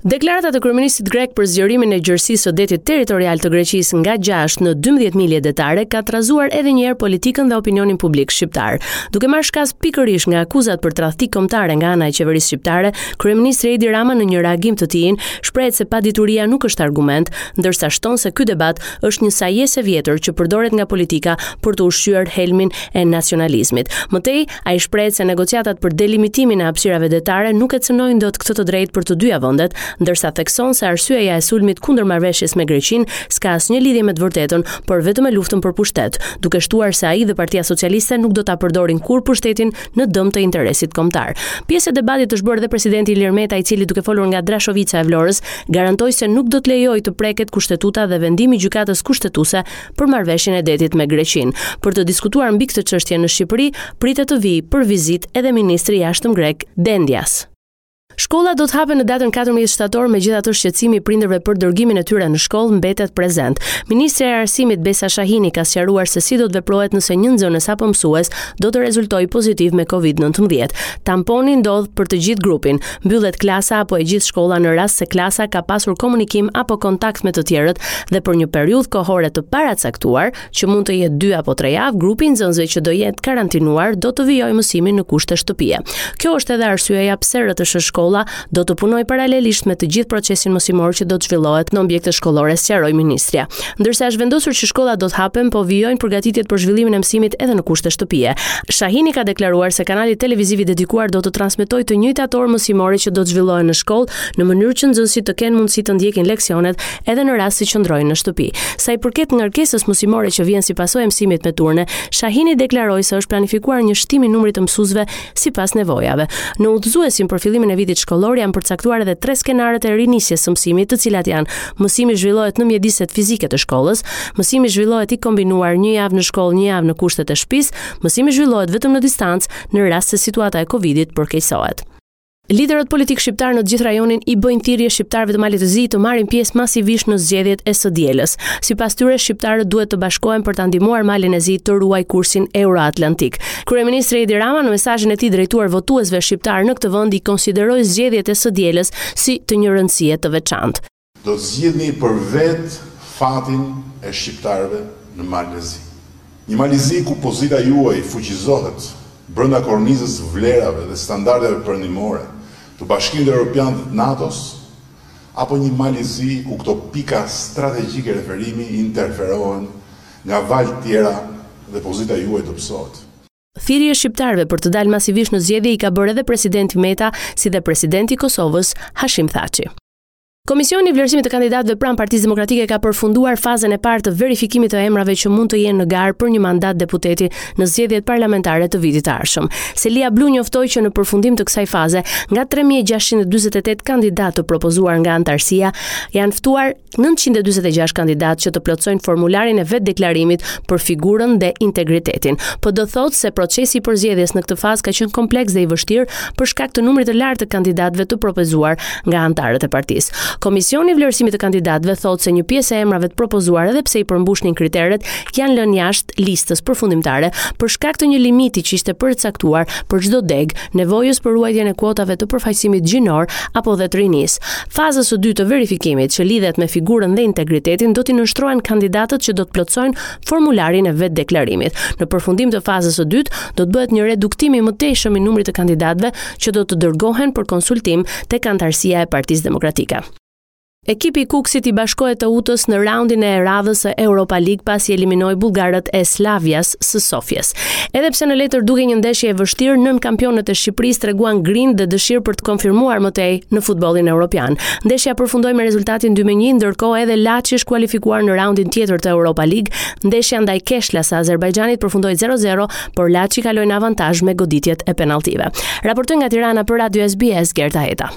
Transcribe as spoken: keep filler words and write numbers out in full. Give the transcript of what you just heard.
Deklaratat e kryeministrit grek për zgjerimin e gjerësisë së detit territorial të Greqisë nga gjashtë në dymbëdhjetë milje detare ka trazuar edhe një herë politikën dhe opinionin publik shqiptar. Duke marrë shkas pikërisht nga akuzat për tradhti kombëtare nga ana e qeverisë shqiptare, kryeministri Edi Rama në një reagim të tij shprehet se padituria nuk është argument, ndërsa shton se ky debat është një sajesë e vjetër që përdoret nga politika për të ushqyer helmin e nacionalizmit. Më tej, ai shprehet se negociatat për delimitimin e hapësirave detare nuk e cënojnë dot këtë të drejtë për të dyja vendet, ndërsa thekson se arsyeja e sulmit kundër marrëveshjes me Greqinë s'ka asnjë lidhje me të vërtetën, por vetëm me luftën për pushtet, duke shtuar se ai dhe Partia Socialiste nuk do ta përdorin kurrë pushtetin në dëm të interesit kombëtar. Pjesë e debatit është bërë edhe presidenti Ilir Meta, i cili duke folur nga Drashovica e Vlorës, garantoi se nuk do të lejojë të preket kushtetuta dhe vendimi i gjykatës kushtetuese për marrëveshjen e detit me Greqinë. Për të diskutuar mbi këtë çështje në Shqipëri, pritet të vijë për vizitë edhe ministri i jashtëm grek Dendias. Shkollat do të hapen në datën katërmbëdhjetë shtator, megjithatë shqetësimi i prindërve për dërgimin e tyre në shkollë mbetet prezent. Ministrja e Arsimit Besa Shahini ka sqaruar se si do të veprohet nëse një nxënës apo mësues do të rezultojë pozitiv me Covid nëntëmbëdhjetë. Tamponi ndodh për të gjithë grupin, mbyllet klasa apo e gjithë shkolla në rast se klasa ka pasur komunikim apo kontakt me të tjerët dhe për një periudhë kohore të paracaktuar, që mund të jetë dy apo tre javë, grupi i nxënësve që do jetë karantinuar do të vijojë mësimin në kushte shtëpie. Kjo është edhe arsyeja pse R T S Shkolla do të punojë paralelisht me të gjithë procesin mësimor që do të zhvillohet në objekte shkollore, sqaroi ministrja. Ndërsa është vendosur që shkollat do të hapen, po vijojnë përgatitjet për zhvillimin e mësimit edhe në kushte shtëpie. Shahini ka deklaruar se kanali televiziv i dedikuar do të transmetojë të njëjtat orë mësimore që do të zhvillohen në shkollë, në mënyrë që nxënësit të kenë mundësi të ndjekin leksionet edhe në rast se qëndrojnë në shtëpi. Sa i përket ngarkesës mësimore që vjen si pasojë e mësimit me turne, Shahini deklaroi se është planifikuar një shtim i numrit të mësuesve sipas nevojave. Në udhëzuesin për fillimin e vitit shkollor janë përcaktuar edhe tre skenarët e rinisjes së mësimit, të cilat janë: mësimi zhvillohet në mjediset fizike të shkollës, mësimi zhvillohet i kombinuar një javë në shkollë, një javë në kushtet e shtëpisë, mësimi zhvillohet vetëm në distancë në rast se situata e Covidit përkeqësohet. Liderët politik shqiptar në të gjithë rajonin i bëjnë thirrje shqiptarëve të Malit të Zi të marrin pjesë masivisht në zgjedhjet e së dielës. Sipas tyre, shqiptarët duhet të bashkohen për ta ndihmuar Malin e Zi të ruajë kursin euroatlantik. Kryeministri Edi Rama në mesazhin e tij drejtuar votuesve shqiptar në këtë vend i konsideroi zgjedhjet e së dielës si të një rëndësie të veçantë. Do të zgjidhni për vetë fatin e shqiptarëve në Malin e Zi. Një Mal i Zi ku pozita juaj fuqizohet brenda kornizës vlerave dhe standardeve perëndimore të Bashkimit Evropian dhe të NATO-s, apo një Mal i Zi ku këto pika strategjike referimi interferohen nga valë tjera dhe pozita juaj dobësohet. Thirrje shqiptarëve për të dalë masivisht në zgjedhje i ka bërë edhe presidenti Meta, si dhe presidenti i Kosovës, Hashim Thaçi. Komisioni i vlerësimit të kandidatëve pranë Partisë Demokratike ka përfunduar fazën e parë të verifikimit të emrave që mund të jenë në garë për një mandat deputeti në zgjedhjet parlamentare të vitit të ardhshëm. Selia Blu njoftoi që në përfundim të kësaj faze, nga tre mijë e gjashtëqind e dyzet e tetë kandidatë të propozuar nga antarësia, janë ftuar nëntëqind e dyzet e gjashtë kandidatë që të plotësojnë formularin e vetdeklarimit për figurën dhe integritetin. Po do thotë se procesi i përzgjedhjes në këtë fazë ka qenë kompleks dhe i vështirë për shkak të numrit të lartë të kandidatëve të propozuar nga antarët e partisë. Komisioni i vlerësimit të kandidatëve thotë se një pjesë e emrave të propozuar edhe pse i përmbushnin kriteret janë lënë jashtë listës përfundimtare për shkak të një limiti që ishte përcaktuar për çdo degë, nevojës për ruajtjen e kuotave të përfaqësimit gjinor apo dhe të rinisë. Fazës së dytë të verifikimit që lidhet me figurën dhe integritetin do t'i nënshtrohen kandidatët që do të plotësojnë formularin e vetdeklarimit. Në përfundim të fazës së dytë do të bëhet një reduktim i mëtejshëm i numrit të kandidatëve që do të dërgohen për konsultim tek antarësia e Partisë Demokratike. Ekipi i Kukësit i bashkohet Teutës në raundin e radhës së Europa League pasi eliminoi bullgarët e Slavias së Sofjes. Edhe pse në letër dukej një ndeshje e vështirë, nën kampionët e Shqipërisë treguan grind dhe dëshirë për të konfirmuar më tej në futbollin evropian. Ndeshja përfundoi me rezultatin dy me një, ndërkohë edhe Laçi është kualifikuar në raundin tjetër të Europa League. Ndeshja ndaj Keshlas së Azerbajxhanit përfundoi zero zero, por Laçi kaloi në avantazh me goditjet e penalltive. Raportoi nga Tirana për Radio S B S Gerta Heta.